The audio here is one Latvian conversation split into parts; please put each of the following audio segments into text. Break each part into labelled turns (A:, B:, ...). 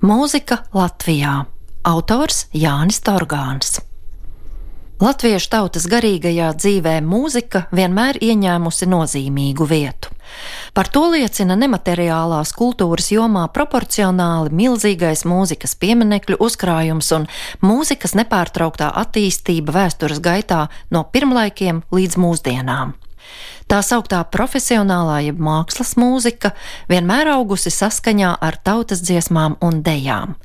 A: Mūzika Latvijā. Autors Jānis Torgāns. Latviešu tautas garīgajā dzīvē mūzika vienmēr ieņēmusi nozīmīgu vietu. Par to liecina nemateriālās kultūras jomā proporcionāli milzīgais mūzikas pieminekļu uzkrājums un mūzikas nepārtrauktā attīstība vēstures gaitā no pirmlaikiem līdz mūsdienām. Tā sauktā profesionālā jeb mākslas mūzika vienmēr augusi saskaņā ar tautas dziesmām un dejām.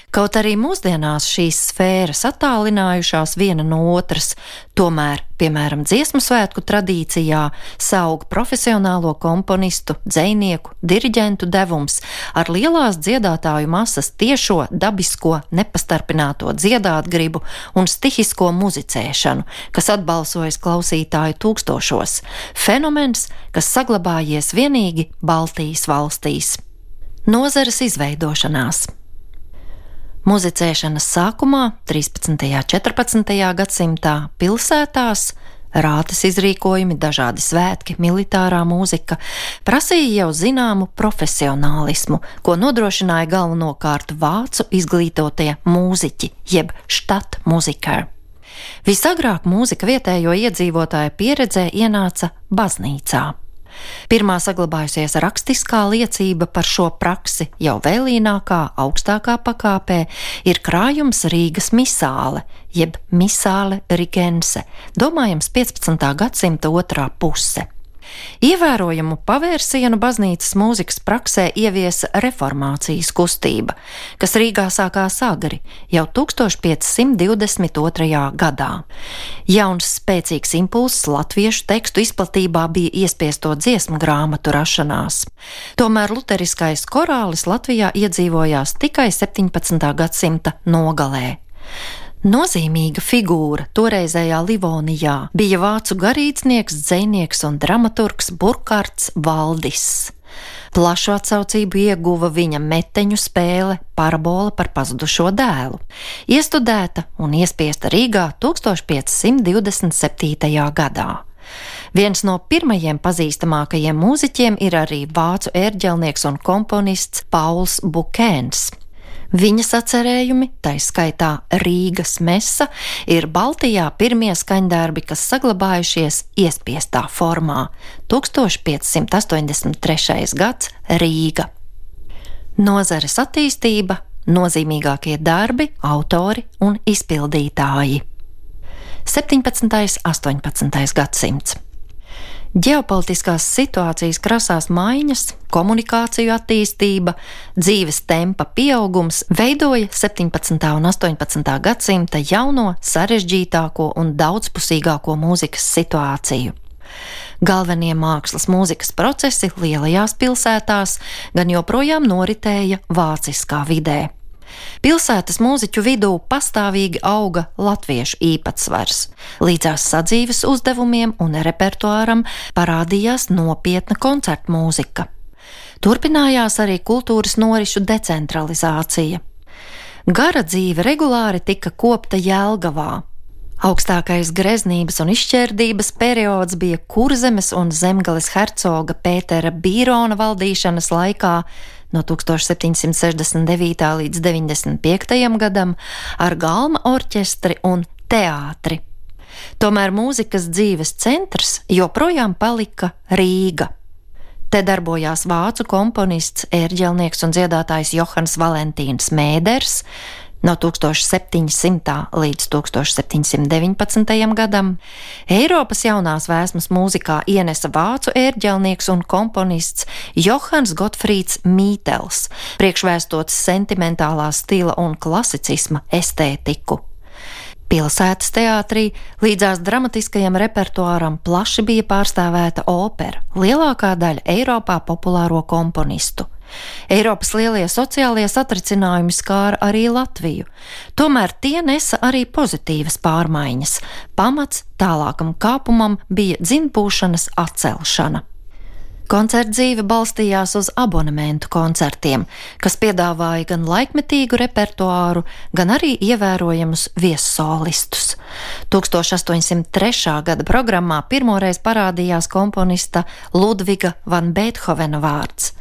A: Kaut arī mūsdienās šīs sfēras attālinājušās viena no otras, tomēr, piemēram, dziesmu svētku tradīcijā saug profesionālo komponistu, dzejnieku, diriģentu devums ar lielās dziedātāju masas tiešo, dabisko, nepastarpināto dziedātgribu un stihisko muzicēšanu, kas atbalsojas klausītāju tūkstošos. Fenomens, kas saglabājies vienīgi Baltijas valstīs. Nozares izveidošanās. Muzicēšanas sākumā, 13. un 14. gadsimtā, pilsētās, rātes izrīkojumi, dažādi svētki, militārā mūzika, prasīja jau zināmu profesionālismu, ko nodrošināja galvenokārt vācu izglītotie mūziķi, jeb štatmuziker. Visagrāk mūzika vietējo iedzīvotāju pieredzē ienāca baznīcā. Pirmā saglabājusies rakstiskā liecība par šo praksi jau vēlīnākā, augstākā pakāpē ir krājums Rīgas misāle, jeb misāle rigense, domājams 15. gadsimta otrā puse. Ievērojamu pavērsienu baznīcas mūzikas praksē ieviesa reformācijas kustība, kas Rīgā sākās agri, jau 1522. gadā. Jauns spēcīgs impulss latviešu tekstu izplatībā bija iespiesto dziesmu grāmatu rašanās. Tomēr luteriskais korālis Latvijā iedzīvojās tikai 17. gadsimta nogalē. Nozīmīga figūra toreizējā Livonijā bija vācu garīdznieks, dzejnieks un dramaturgs Burkards Valdis. Plašu atsaucību ieguva viņa meteņu spēle Parabola par pazudušo dēlu, iestudēta un iespiesta Rīgā 1527. gadā. Viens no pirmajiem pazīstamākajiem mūziķiem ir arī vācu ērģelnieks un komponists Pauls Bukēns. Viņa sacerējumi, tai skaitā Rīgas mesa, ir Baltijā pirmie skaņdarbi, kas saglabājušies iespiestā formā. 1583. gads, Rīga. Nozares attīstība, nozīmīgākie darbi, autori un izpildītāji. 17. 18. gadsimts. Ģeopolitiskās situācijas krasās maiņas, komunikāciju attīstība, dzīves tempa pieaugums veidoja 17. un 18. gadsimta jauno, sarežģītāko un daudzpusīgāko mūzikas situāciju. Galvenie mākslas mūzikas procesi lielajās pilsētās gan joprojām noritēja vāciskā vidē. Pilsētas mūziķu vidū pastāvīgi auga latviešu īpatsvars. Līdzās sadzīves uzdevumiem un repertuāram parādījās nopietna koncertu mūzika. Turpinājās arī kultūras norišu decentralizācija. Gara dzīve regulāri tika kopta Jelgavā. Augstākais greznības un izšķērdības periods bija Kurzemes un Zemgales hercoga Pētera Bīrona valdīšanas laikā no 1769. līdz 95. gadam ar galma orķestri un teātri. Tomēr mūzikas dzīves centrs joprojām palika Rīga. Te darbojās vācu komponists, ērģelnieks un dziedātājs Johans Valentīns Mēders, no 1700. līdz 1719. gadam. Eiropas jaunās vēsmas mūzikā ienesa vācu ērģelnieks un komponists Johans Gotfrīds Mītels, priekšvēstots sentimentālā stila un klasicisma estētiku. Pilsētas teātrī līdzās dramatiskajam repertuāram plaši bija pārstāvēta opera, lielākā daļa Eiropā populāro komponistu. Eiropas lielie sociālie satricinājumi skāra arī Latviju, tomēr tie nesa arī pozitīvas pārmaiņas. Pamats tālākam kāpumam bija dzinpūšanas atcelšana. Koncertdzīve balstījās uz abonementu koncertiem, kas piedāvāja gan laikmetīgu repertuāru, gan arī ievērojamus viessolistus. 1803. gada programmā pirmoreiz parādījās komponista Ludviga van Beethovena vārds.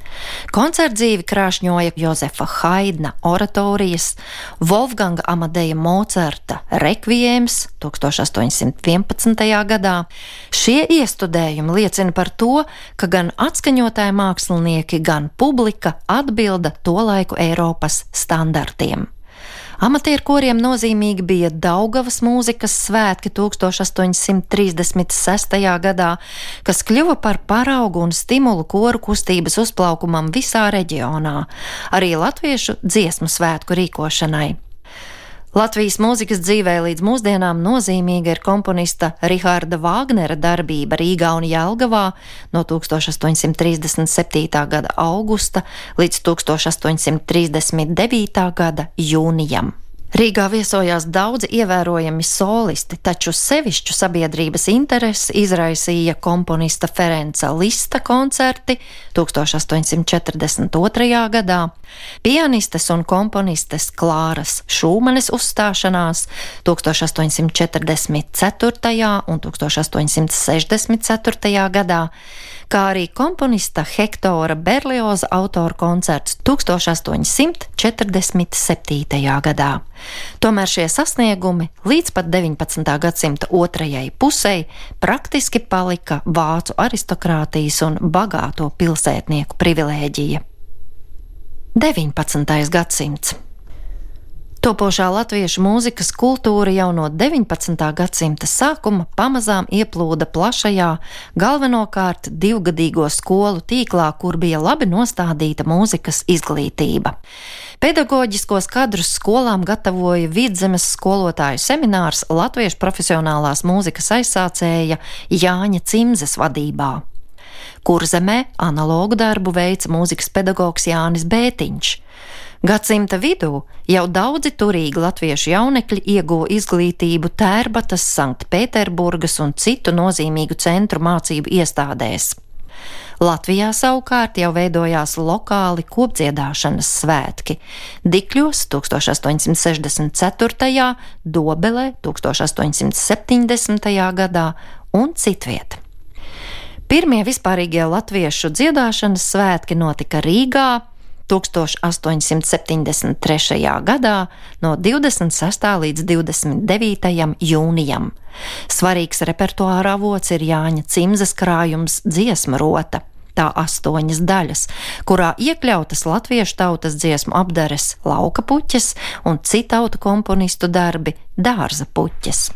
A: Koncertdzīvi krāšņoja Jozefa Haidna oratorijas, Wolfganga Amadeja Mocarta rekvijēms 1811. gadā. Šie iestudējumi liecina par to, ka gan atskaņotāji mākslinieki, gan publika atbilda tolaiku Eiropas standartiem. Amatieru koriem nozīmīgi bija Daugavas mūzikas svētki 1836. gadā, kas kļuva par paraugu un stimulu koru kustības uzplaukumam visā reģionā, arī latviešu dziesmu svētku rīkošanai. Latvijas mūzikas dzīvē līdz mūsdienām nozīmīga ir komponista Riharda Vāgnera darbība Rīgā un Jelgavā no 1837. gada augusta līdz 1839. gada jūnijam. Rīgā viesojās daudzi ievērojami solisti, taču sevišķu sabiedrības interesi izraisīja komponista Ferenca Lista koncerti 1842. gadā, pianistes un komponistes Klāras Šūmanes uzstāšanās 1844. un 1864. gadā, kā arī komponista Hektora Berlioza autora koncerts 1847. gadā. Tomēr šie sasniegumi līdz pat 19. gadsimta otrajai pusei praktiski palika vācu aristokrātijas un bagāto pilsētnieku privilēģija. 19. gadsimts. Topošā latviešu mūzikas kultūra jau no 19. gadsimta sākuma pamazām ieplūda plašajā, galvenokārt divgadīgo skolu tīklā, kur bija labi nostādīta mūzikas izglītība. Pedagoģiskos kadrus skolām gatavoja Vidzemes skolotāju seminārs latviešu profesionālās mūzikas aizsācēja Jāņa Cimzes vadībā. Kurzemē analogu darbu veica mūzikas pedagogs Jānis Bētiņš. Gadsimta vidū jau daudzi turīgi latviešu jaunekļi ieguva izglītību Tērbatas, Sanktpēterburgas un citu nozīmīgu centru mācību iestādēs. Latvijā savukārt jau veidojās lokāli kopdziedāšanas svētki – Dikļos 1864., Dobelē 1870. gadā un citviet. Pirmie vispārīgie latviešu dziedāšanas svētki notika Rīgā 1873. gadā no 26. līdz 29. jūnijam. Svarīgs repertuāra avots ir Jāņa Cimzes krājums Dziesma rota, tā 8 daļas, kurā iekļautas latviešu tautas dziesmu apdares Lauka puķes un citautu komponistu darbi Dārza puķes.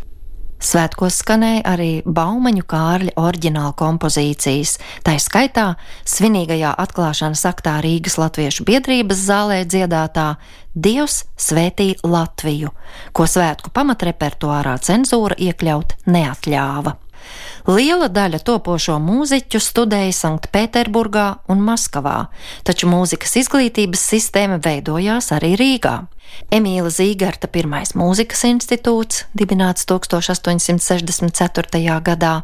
A: Svētkos skanēja arī Baumaņu Kārļa oriģināla kompozīcijas, tai skaitā svinīgajā atklāšanas aktā Rīgas latviešu biedrības zālē dziedātā Dievs svētī Latviju, ko svētku pamatrepertuārā cenzūra iekļaut neatļāva. Liela daļa topošo mūziķu studēja Sanktpēterburgā un Maskavā, taču mūzikas izglītības sistēma veidojās arī Rīgā. Emīla Zīgerta pirmais mūzikas institūts, dibināts 1864. gadā,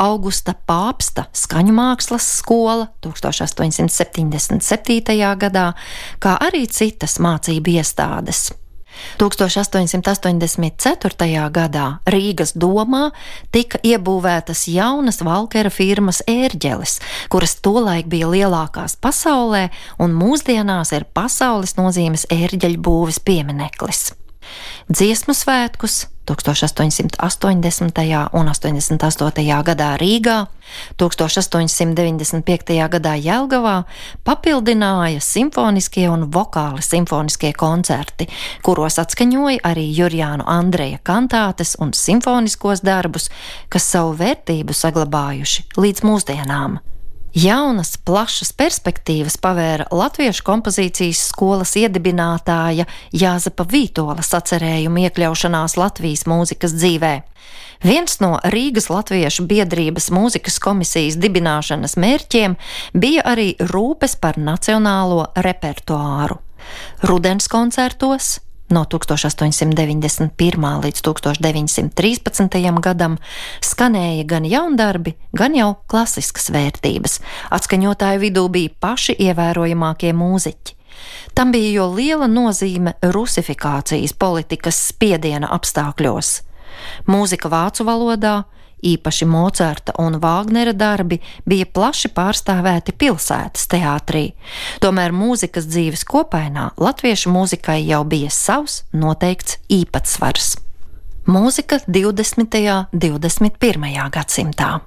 A: Augusta Pāpsta skaņu mākslas skola 1877. gadā, kā arī citas mācību iestādes. 1884. gadā Rīgas domā tika iebūvētas jaunas valkera firmas ērģeles, kuras tolaik bija lielākās pasaulē un mūsdienās ir pasaules nozīmes ērģeļu būves piemineklis. Dziesmu svētkus 1880. un 88. gadā Rīgā, 1895. gadā Jelgavā papildināja simfoniskie un vokāli simfoniskie koncerti, kuros atskaņoja arī Jurjānu Andreja kantātes un simfoniskos darbus, kas savu vērtību saglabājuši līdz mūsdienām. Jaunas, plašas perspektīvas pavēra latviešu kompozīcijas skolas iedibinātāja Jāzepa Vītola sacerējuma iekļaušanās Latvijas mūzikas dzīvē. Viens no Rīgas latviešu biedrības mūzikas komisijas dibināšanas mērķiem bija arī rūpes par nacionālo repertuāru. Rudens koncertos no 1891. līdz 1913. gadam skanēja gan jaundarbi, gan jau klasiskas vērtības. Atskaņotāju vidū bija paši ievērojamākie mūziķi. Tam bija jo liela nozīme rusifikācijas politikas spiediena apstākļos. Mūzika vācu valodā, īpaši Mocarta un Vāgnera darbi, bija plaši pārstāvēti pilsētas teātrī. Tomēr mūzikas dzīves kopainā latviešu mūzikai jau bija savs noteikts īpatsvars. Mūzika 20. un 21. gadsimtā.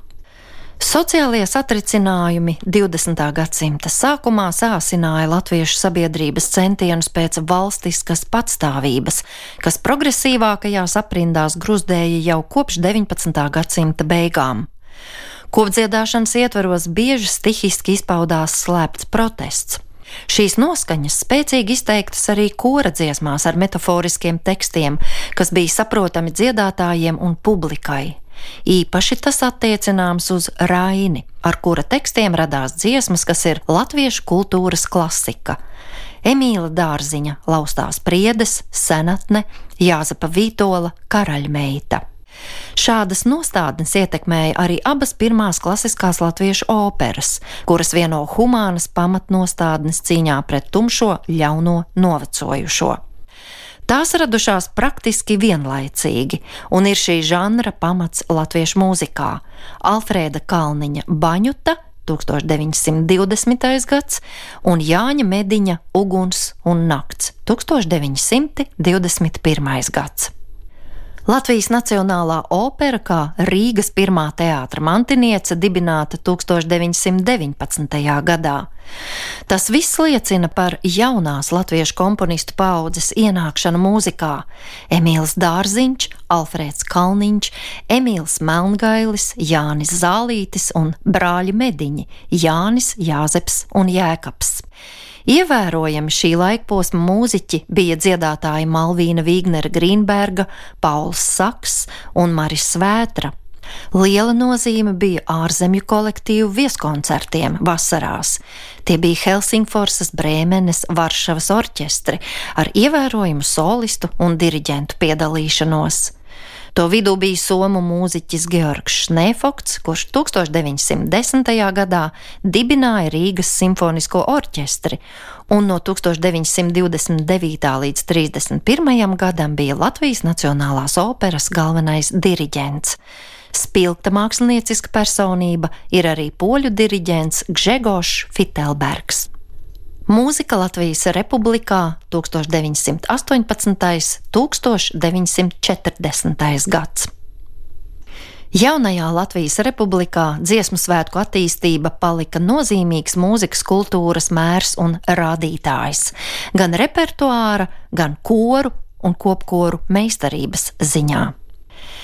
A: Sociālie satricinājumi 20. gadsimta sākumā sāsināja latviešu sabiedrības centienus pēc valstiskas patstāvības, kas progresīvākajās aprindās gruzdēja jau kopš 19. gadsimta beigām. Kopdziedāšanas ietvaros bieži stihiski izpaudās slēpts protests. Šīs noskaņas spēcīgi izteiktas arī kora dziesmās ar metaforiskiem tekstiem, kas bija saprotami dziedātājiem un publikai. Īpaši tas attiecināms uz Raini, ar kura tekstiem radās dziesmas, kas ir latviešu kultūras klasika. Emīla Dārziņa Laustās priedes, Senatne, Jāzepa Vītola, Karaļmeita. Šādas nostādnes ietekmēja arī abas pirmās klasiskās latviešu operas, kuras vieno humānas pamatnostādnes cīņā pret tumšo, ļauno, novecojušo. Tās radušās praktiski vienlaicīgi, un ir šī žanra pamats latviešu mūzikā. Alfrēda Kalniņa Baņuta 1920. gads un Jāņa Mediņa Uguns un nakts 1921. gads. Latvijas Nacionālā opera kā Rīgas pirmā teātra mantiniece dibināta 1919. gadā. Tas viss liecina par jaunās latviešu komponistu paaudzes ienākšanu mūzikā. Emīls Dārziņš, Alfrēds Kalniņš, Emīls Melngailis, Jānis Zālītis un brāļi Mediņi Jānis, Jāzeps un Jēkabs. Ievērojami šī laikposma mūziķi bija dziedātāji Malvīna Vīgnera Grīnberga, Pauls Saks un Maris Svētra. Liela nozīme bija ārzemju kolektīvu vieskoncertiem vasarās. Tie bija Helsingforsas, Brēmenes, Varšavas orķestri ar ievērojumu solistu un diriģentu piedalīšanos. To vidū bija somu mūziķis Georgs Šnēfokts, kurš 1910. gadā dibināja Rīgas simfonisko orķestri, un no 1929. līdz 31. gadam bija Latvijas Nacionālās operas galvenais diriģents. Spilgta mākslinieciska personība ir arī poļu diriģents Gžegošs Fitelbergs. Mūzika Latvijas Republikā 1918. 1940. gads. Jaunajā Latvijas Republikā dziesmu svētku attīstība palika nozīmīgs mūzikas kultūras mērs un rādītājs, gan repertuāra, gan koru un kopkoru meistarības ziņā.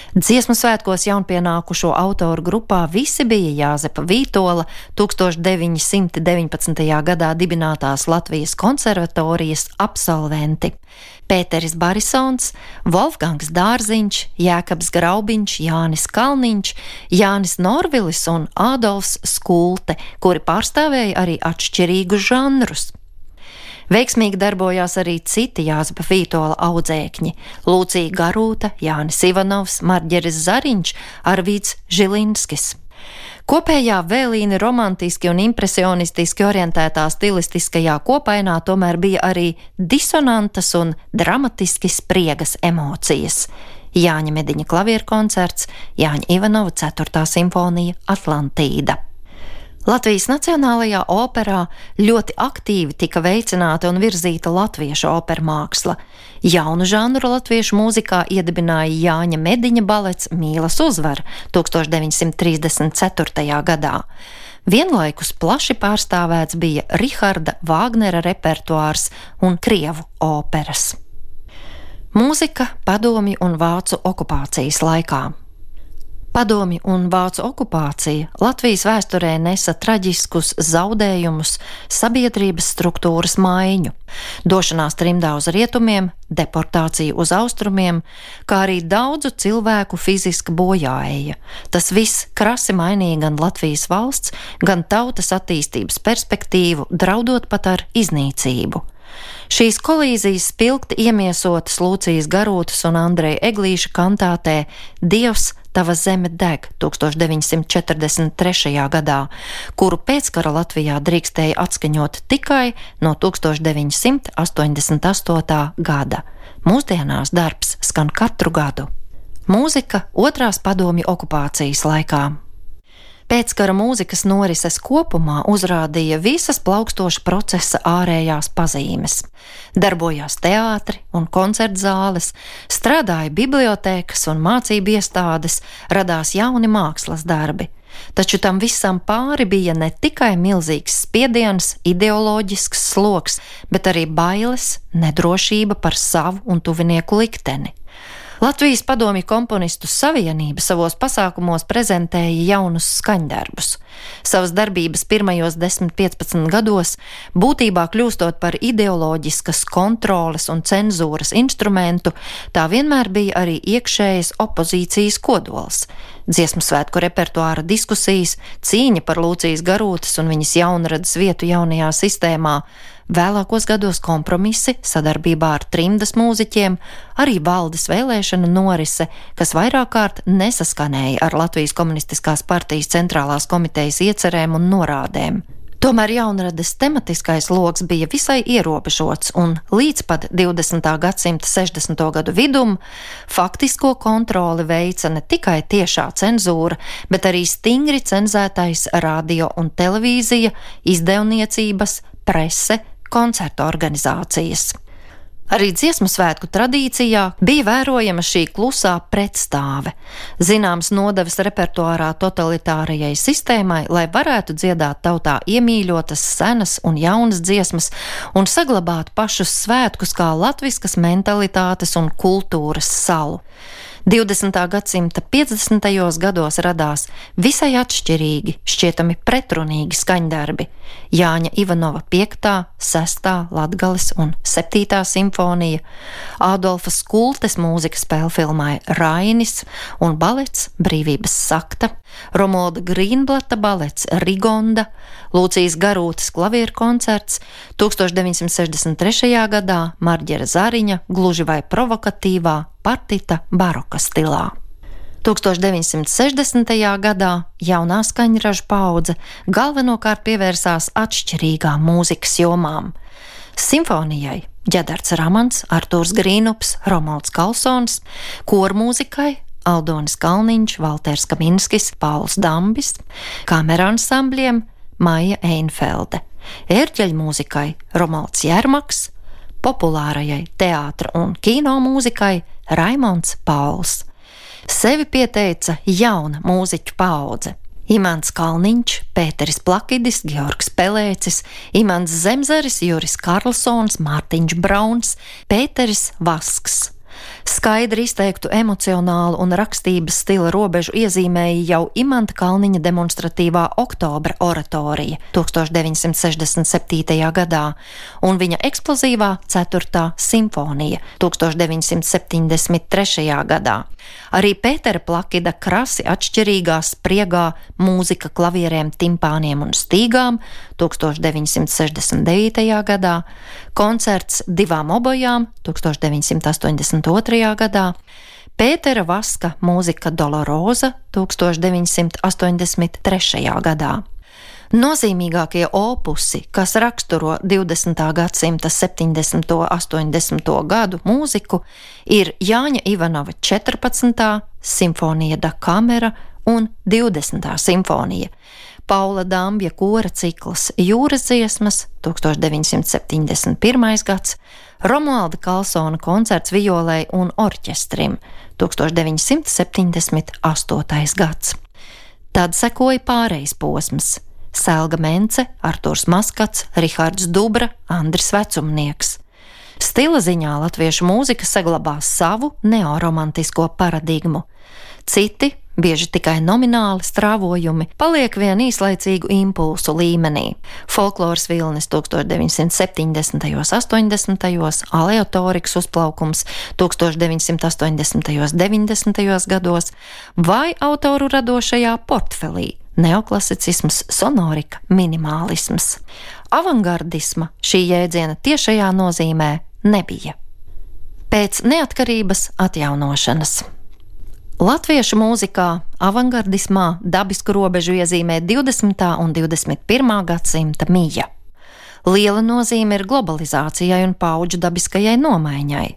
A: Dziesmu svētkos jaunpienākušo autoru grupā visi bija Jāzepa Vītola 1919. gadā dibinātās Latvijas konservatorijas absolventi. Pēteris Barisons, Wolfgangs Dārziņš, Jēkabs Graubiņš, Jānis Kalniņš, Jānis Norvilis un Ādolfs Skulte, kuri pārstāvēja arī atšķirīgus žanrus. Veiksmīgi darbojās arī citi Jāzepa Vītola audzēkņi – Lūcija Garūta, Jānis Ivanovs, Marģeris Zariņš, Arvīds Žilinskis. Kopējā vēlīni romantiski un impresionistiski orientētā stilistiskajā kopainā tomēr bija arī disonantas un dramatiski spriegas emocijas. Jāņa Mediņa klavierkoncerts, Jāņa Ivanova 4. simfonija Atlantīda. Latvijas Nacionālajā operā ļoti aktīvi tika veicināta un virzīta latviešu opermāksla. Jaunu žanru latviešu mūzikā iedibināja Jāņa Mediņa balets Mīlas uzvara 1934. gadā. Vienlaikus plaši pārstāvēts bija Riharda Vāgnera repertuārs un krievu operas. Mūzika padomju un vācu okupācijas laikā. Padomju un vācu okupācija Latvijas vēsturē nesa traģiskus zaudējumus, sabiedrības struktūras maiņu, došanās trimdā uz rietumiem, deportāciju uz austrumiem, kā arī daudzu cilvēku fiziska bojāeja. Tas viss krasi mainīja gan Latvijas valsts, gan tautas attīstības perspektīvu, draudot pat ar iznīcību. Šīs kolīzijas spilgti iemiesotas Lūcijas Garūtas un Andreja Eglīša kantātē Dievs, tava zeme deg 1943. gadā, kuru pēckara Latvijā drīkstēja atskaņot tikai no 1988. gada. Mūsdienās darbs skan katru gadu. Mūzika otrās padomju okupācijas laikā. Pēckara mūzikas norises kopumā uzrādīja visas plaukstoša procesa ārējās pazīmes. Darbojās teātri un koncertzāles, strādāja bibliotēkas un mācību iestādes, radās jauni mākslas darbi. Taču tam visam pāri bija ne tikai milzīgs spiediens, ideoloģisks sloks, bet arī bailes, nedrošība par savu un tuvinieku likteni. Latvijas padomju komponistu savienība savos pasākumos prezentēja jaunus skaņdarbus. Savas darbības pirmajos 10–15 gados, būtībā kļūstot par ideoloģiskas kontroles un cenzūras instrumentu, tā vienmēr bija arī iekšējas opozīcijas kodols. Dziesmu svētku repertuāra diskusijas, cīņa par Lūcijas Garūtas un viņas jaunradas vietu jaunajā sistēmā, vēlākos gados kompromisi sadarbībā ar trimdas mūziķiem, arī valdes vēlēšanu norise, kas vairāk kārt nesaskanēja ar Latvijas komunistiskās partijas centrālās komitejas iecerēm un norādēm. Tomēr jaunrades tematiskais loks bija visai ierobežots un līdz pat 20. gadsimta 60. gadu vidum faktisko kontroli veica ne tikai tiešā cenzūra, bet arī stingri cenzētais radio un televīzija, izdevniecības, prese, koncertu organizācijas. Arī dziesmu svētku tradīcijā bija vērojama šī klusā pretstāve, zināms nodevas repertuārā totalitārajai sistēmai, lai varētu dziedāt tautā iemīļotas senas un jaunas dziesmas un saglabāt pašus svētkus kā latviskas mentalitātes un kultūras salu. 20. gadsimta 50. gados radās visai atšķirīgi, šķietami pretrunīgi skaņdarbi. Jāņa Ivanova 5., 6. Latgales un 7. simfonija, Ādolfa Skultes mūzikas spēlfilmai Rainis un balets Brīvības sakta, Romualda Grīnblata balets Rigonda, Lūcijas Garūtas klavieru koncerts, 1963. gadā Marģera Zariņa gluži vai provokatīvā partita baroka stilā. 1960. gadā jaunā skaņražu paudze galvenokārt pievērsās atšķirīgām mūzikas jomām. Simfonijai Ģedards Ramans, Artūrs Grīnups, Romualds Kalsons, kormūzikai Aldonis Kalniņš, Valters Kaminskis, Pauls Dambis, kameransambļiem Maija Einfelde, ērģeļmūzikai Romualds Jermaks, populārajai teātra un kino mūzikai Raimonds Pauls. Sevi pieteica jauna mūziķu paudze. Imants Kalniņš, Pēteris Plakidis, Georgs Pelēcis, Imants Zemzaris, Juris Karlsons, Mārtiņš Brauns, Pēteris Vasks. Skaidri izteiktu emocionālu un rakstības stila robežu iezīmēja jau Imanta Kalniņa demonstratīvā Oktobra oratorija 1967. gadā un viņa eksplozīvā 4. simfonija 1973. gadā. Arī Pētera Plakida krasi atšķirīgā spriegā mūzika klavierēm, timpāniem un stīgām 1969. gadā, koncerts divām obojām 1982. gadā, Pētera Vaska mūzika Doloroza 1983. gadā. Nozīmīgākie opusi, kas raksturo 20. gadsimta 70. un 80. gadu mūziku, ir Jāņa Ivanova 14. simfonija da kamera un 20. simfonija, Paula Dambja kora cikls Jūras dziesmas 1971. gads, Romualda Kalsona koncerts violei un orķestrim 1978. gads. Tad sekoja pārejas posms. Selga Mence, Artūrs Maskats, Rihards Dubra, Andris Vecumnieks. Stila ziņā latviešu mūzika saglabās savu neoromantisko paradigmu. Citi, bieži tikai nomināli strāvojumi, paliek vien īslaicīgu impulsu līmenī. Folkloras vilnis 1970. 80. aleatorikas uzplaukums 1980. 90. gados vai autoru radošajā portfelī neoklasicisms, sonorika, minimālisms. Avangardisma šī jēdziena tiešajā nozīmē nebija. Pēc neatkarības atjaunošanas. Latviešu mūzikā avangardismā dabisku robežu iezīmē 20. un 21. gadsimta mija. Liela nozīme ir globalizācijai un paudžu dabiskajai nomaiņai.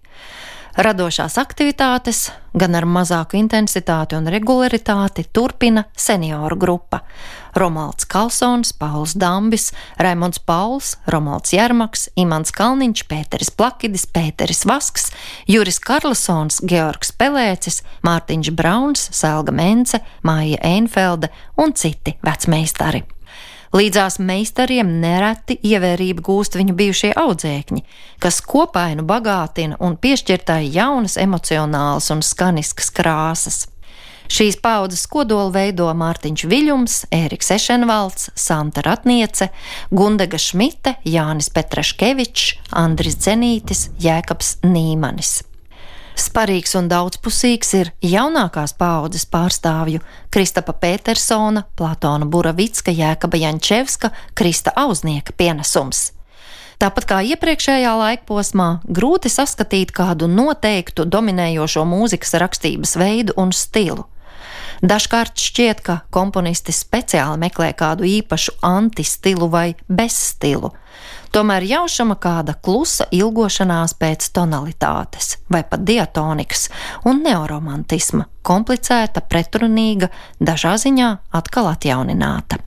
A: Radošās aktivitātes, gan ar mazāku intensitāti un regularitāti, turpina senioru grupa – Romualds Kalsons, Pauls Dambis, Raimonds Pauls, Romualds Jermaks, Imants Kalniņš, Pēteris Plakidis, Pēteris Vasks, Juris Karlsons, Georgs Pelēcis, Mārtiņš Brauns, Selga Mence, Maija Einfelde un citi vecmeistari. Līdzās meistariem nereti ievērību gūst viņu bijušie audzēkņi, kas kopainu bagātina un piešķirtai jaunas emocionālas un skaniskas krāsas. Šīs paaudzes kodolu veido Mārtiņš Viļums, Ēriks Ešenvalds, Santa Ratniece, Gundega Šmite, Jānis Petraškevičs, Andris Dzenītis, Jēkabs Nīmanis. Sparīgs un daudzpusīgs ir jaunākās paaudzes pārstāvju Kristapa Pētersona, Platona Buravicka, Jēkaba Jančevska, Krista Auznieka pienesums. Tāpat kā iepriekšējā laikposmā, grūti saskatīt kādu noteiktu dominējošo mūzikas rakstības veidu un stilu. Dažkārt šķiet, ka komponisti speciāli meklē kādu īpašu antistilu vai bezstilu. Tomēr jaušama kāda klusa ilgošanās pēc tonalitātes vai pat diatonikas un neoromantisma, komplicēta, pretrunīga, dažā ziņā atkal atjaunināta.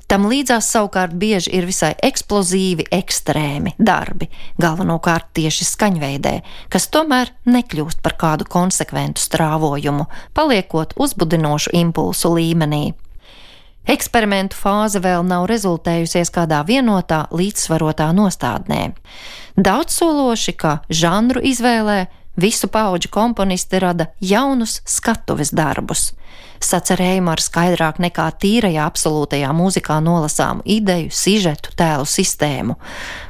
A: Tam līdzās savukārt bieži ir visai eksplozīvi, ekstrēmi darbi, galvenokārt tieši skaņveidē, kas tomēr nekļūst par kādu konsekventu strāvojumu, paliekot uzbudinošu impulsu līmenī. Eksperimentu fāze vēl nav rezultējusies kādā vienotā, līdzsvarotā nostādnē. Daudzsološi, ka žanru izvēlē, visu paudžu komponisti rada jaunus skatuves darbus. Sacerējumu ar skaidrāk nekā tīrajā absolūtajā mūzikā nolasāmu ideju, sižetu, tēlu sistēmu.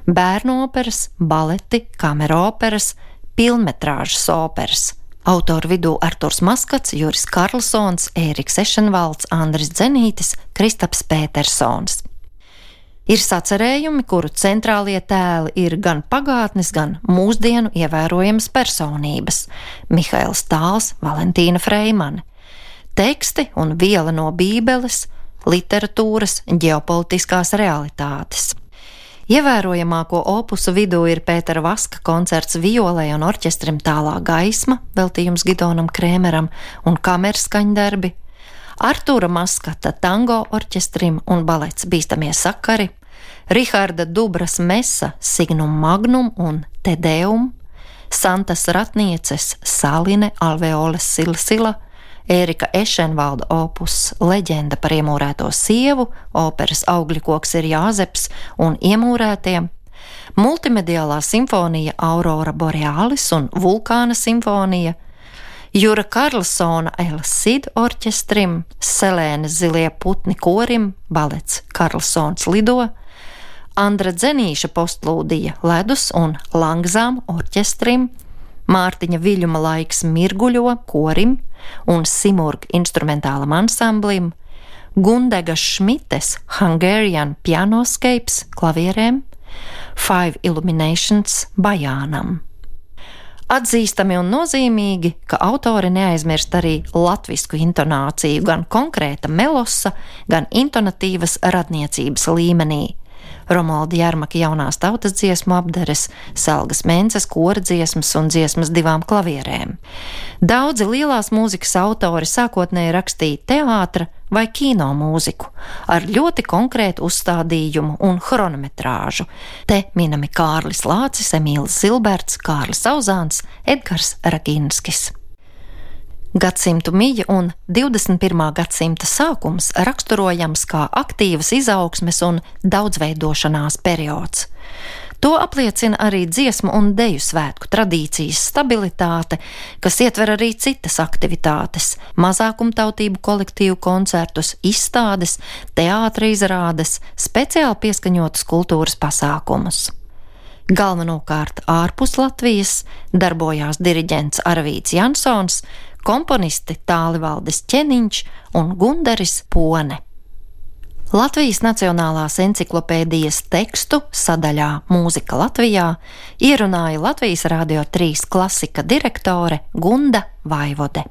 A: Bērnu operas, baleti, kameroperas, pilnmetrāžas operas. Autoru vidū Arturs Maskats, Juris Karlsons, Ēriks Ešenvalds, Andris Dzenītis, Kristaps Pētersons. Ir sacerējumi, kuru centrālie tēli ir gan pagātnes, gan mūsdienu ievērojamas personības – Mihails Tāls, Valentīna Freimane. Teksti un viela no Bībeles, literatūras, ģeopolitiskās realitātes. Ievērojamāko opusu vidū ir Pētera Vaska koncerts violei un orķestrim Tālā gaisma, veltījums Gidonam Krēmeram un kamerskaņdarbi, Artūra Maskata tango orķestrim un balets Bīstamie sakari, Riharda Dubras mesa Signum Magnum un Te Deum, Santas Ratnieces Saline Alveoles Silsila, Ērika Ešenvalda opus Leģenda par iemūrēto sievu, operas Augļikoks ir Jāzeps un iemūrētie, multimediālā simfonija Aurora Borealis un Vulkāna simfonija, Jura Karlsona El Cid orķestrim, Selēnas Zilie putni korim, balets Karlsons lido, Andra Dzenīša postlūdija Ledus un Langzām orķestrim, Mārtiņa Viļuma laiks Mirguļo korim un Simurg instrumentālam ansamblim, Gundega Šmites Hungarian Pianoscapes klavierēm, Five Illuminations bajānam. Atzīstami un nozīmīgi, ka autori neaizmirst arī latvisku intonāciju gan konkrēta melosa, gan intonatīvas radniecības līmenī. Romualda Jermaka jaunās tautas dziesmu apdares, Selgas Mences kora dziesmas un dziesmas divām klavierēm. Daudzi lielās mūzikas autori sākotnēji rakstīja teātra vai kino mūziku ar ļoti konkrētu uzstādījumu un chronometrāžu. Te minami Kārlis Lācis, Emīls Zilberts, Kārlis Auzāns, Edgars Raginskis. Gadsimtu mija un 21. gadsimta sākums raksturojams kā aktīvas izaugsmes un daudzveidošanās periods. To apliecina arī dziesmu un deju svētku tradīcijas stabilitāte, kas ietver arī citas aktivitātes – mazākumtautību kolektīvu koncertus, izstādes, teātra izrādes, speciāli pieskaņotas kultūras pasākumus. Galvenokārt ārpus Latvijas darbojās diriģents Arvīds Jansons, komponisti Tālivaldis Ķeniņš un Gundaris Pone. Latvijas Nacionālās enciklopēdijas tekstu sadaļā Mūzika Latvijā ierunāja Latvijas Radio 3 klasika direktore Gunda Vaivode.